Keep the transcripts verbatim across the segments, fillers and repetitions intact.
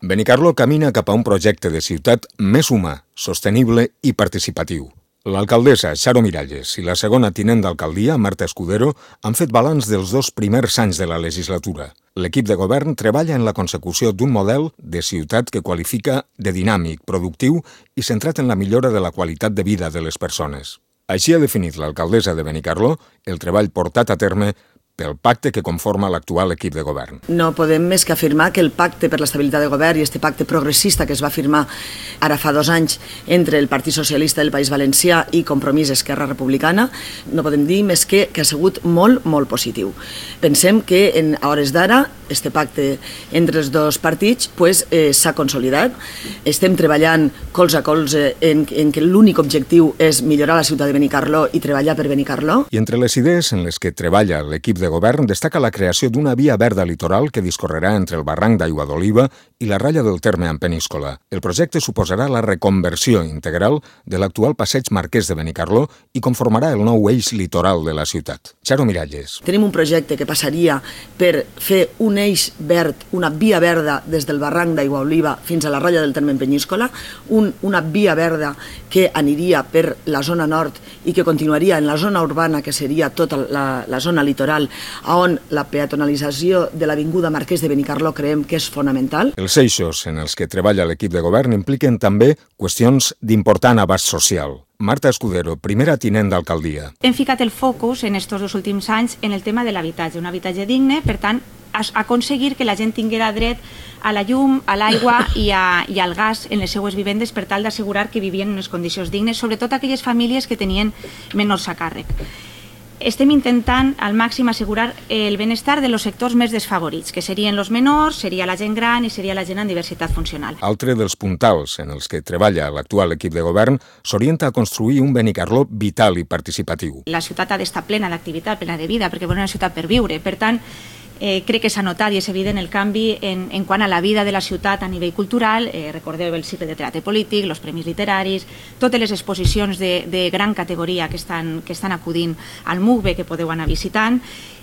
Benicarló camina cap a un projecte de ciutat més humà, sostenible i participatiu. L'alcaldessa Charo Miralles i la segona tinent d'alcaldia, Marta Escudero, han fet balanç dels dos primers anys de la legislatura. L'equip de govern treballa en la consecució d'un model de ciutat que qualifica de dinàmic, productiu i centrat en la millora de la qualitat de vida de les persones. Així ha definit l'alcaldessa de Benicarló el treball portat a terme pel pacte que conforma l'actual equip de govern. No podem més que afirmar que el pacte per l'estabilitat de govern i este pacte progressista que es va firmar ara fa dos anys entre el Partit Socialista del País Valencià i Compromís Esquerra Republicana, no podem dir més que, que ha sigut molt, molt positiu. Pensem que en hores d'ara este pacte entre els dos partits pues, eh, s'ha consolidat. Estem treballant colze a colze en, en que l'únic objectiu és millorar la ciutat de Benicarló i treballar per Benicarló. I entre les idees en les que treballa l'equip de govern destaca la creació d'una via verda litoral que discorrerà entre el barranc d'Aigua d'Oliva i la ratlla del terme en Peníscola. El projecte suposarà la reconversió integral de l'actual passeig Marquès de Benicarló i conformarà el nou eix litoral de la ciutat. Charo Miralles. Tenim un projecte que passaria per fer un eix verd, una via verda des del barranc d'Aigua d'Oliva fins a la ratlla del terme en Peníscola, un, una via verda que aniria per la zona nord i que continuaria en la zona urbana, que seria tota la, la zona litoral, on la peatonalització de l'avinguda Marquès de Benicarló creiem que és fonamental. Els eixos en els que treballa l'equip de govern impliquen també qüestions d'important abast social. Marta Escudero, primera tinent d'alcaldia. Hem ficat el focus en aquests dos últims anys en el tema de l'habitatge, un habitatge digne, per tant, aconseguir que la gent tinguera dret a la llum, a l'aigua i, a, i al gas en les seues vivendes per tal d'assegurar que vivien en unes condicions dignes, sobretot aquelles famílies que tenien menors a càrrec. Estem intentant al màxim assegurar el benestar de los sectors més desfavorits, que serien els menors, seria la gent gran i seria la gent amb diversitat funcional. Altre dels puntals en els que treballa l'actual equip de govern s'orienta a construir un Benicarló vital i participatiu. La ciutat ha d'estar plena d'activitat, plena de vida, perquè volem una ciutat per viure. Per tant, Eh, crec que s'ha notat i és evident el canvi en, en quant a la vida de la ciutat a nivell cultural. Eh, recordeu el cicle de teatre polític, els premis literaris, totes les exposicions de, de gran categoria que estan, que estan acudint al MUGBE, que podeu anar visitant,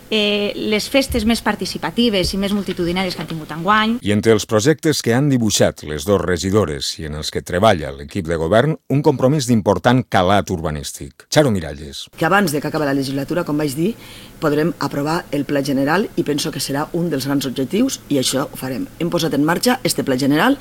eh, les festes més participatives i més multitudinàries que han tingut enguany. I entre els projectes que han dibuixat les dues regidores i en els que treballa l'equip de govern, un compromís d'important calat urbanístic. Charo Miralles. Que abans de que acabi la legislatura, com vaig dir, podrem aprovar el Pla General i penso que serà un dels grans objectius i això ho farem. Hem posat en marxa este Pla General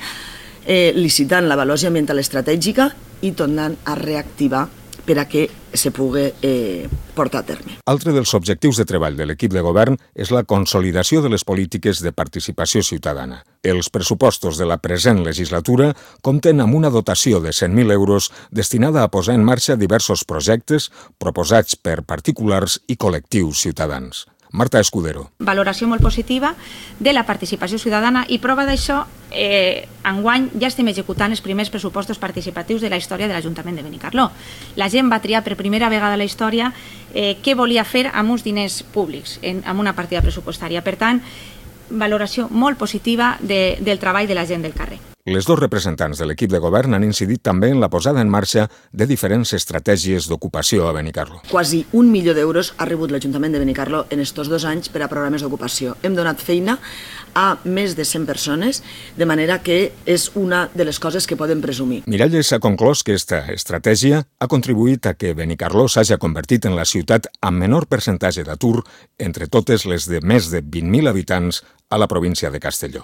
eh, licitant l'avaluació ambiental estratègica i tornant a reactivar per a que se pugui eh, portar a terme. Altre dels objectius de treball de l'equip de govern és la consolidació de les polítiques de participació ciutadana. Els pressupostos de la present legislatura compten amb una dotació de cent mil euros destinada a posar en marxa diversos projectes proposats per particulars i col·lectius ciutadans. Marta Escudero. Valoració molt positiva de la participació ciutadana i prova d'això, eh, enguany ja estem executant els primers pressupostos participatius de la història de l'Ajuntament de Benicarló. La gent va triar per primera vegada a la història eh, què volia fer amb uns diners públics, en, amb una partida pressupostària. Per tant, valoració molt positiva de, del treball de la gent del carrer. Les dos representants de l'equip de govern han incidit també en la posada en marxa de diferents estratègies d'ocupació a Benicarló. Quasi un milió d'euros ha rebut l'Ajuntament de Benicarló en estos dos anys per a programes d'ocupació. Hem donat feina a més de cent persones, de manera que és una de les coses que podem presumir. Miralles ha conclòs que aquesta estratègia ha contribuït a que Benicarló s'hagi convertit en la ciutat amb menor percentatge d'atur entre totes les de més de vint mil habitants a la província de Castelló.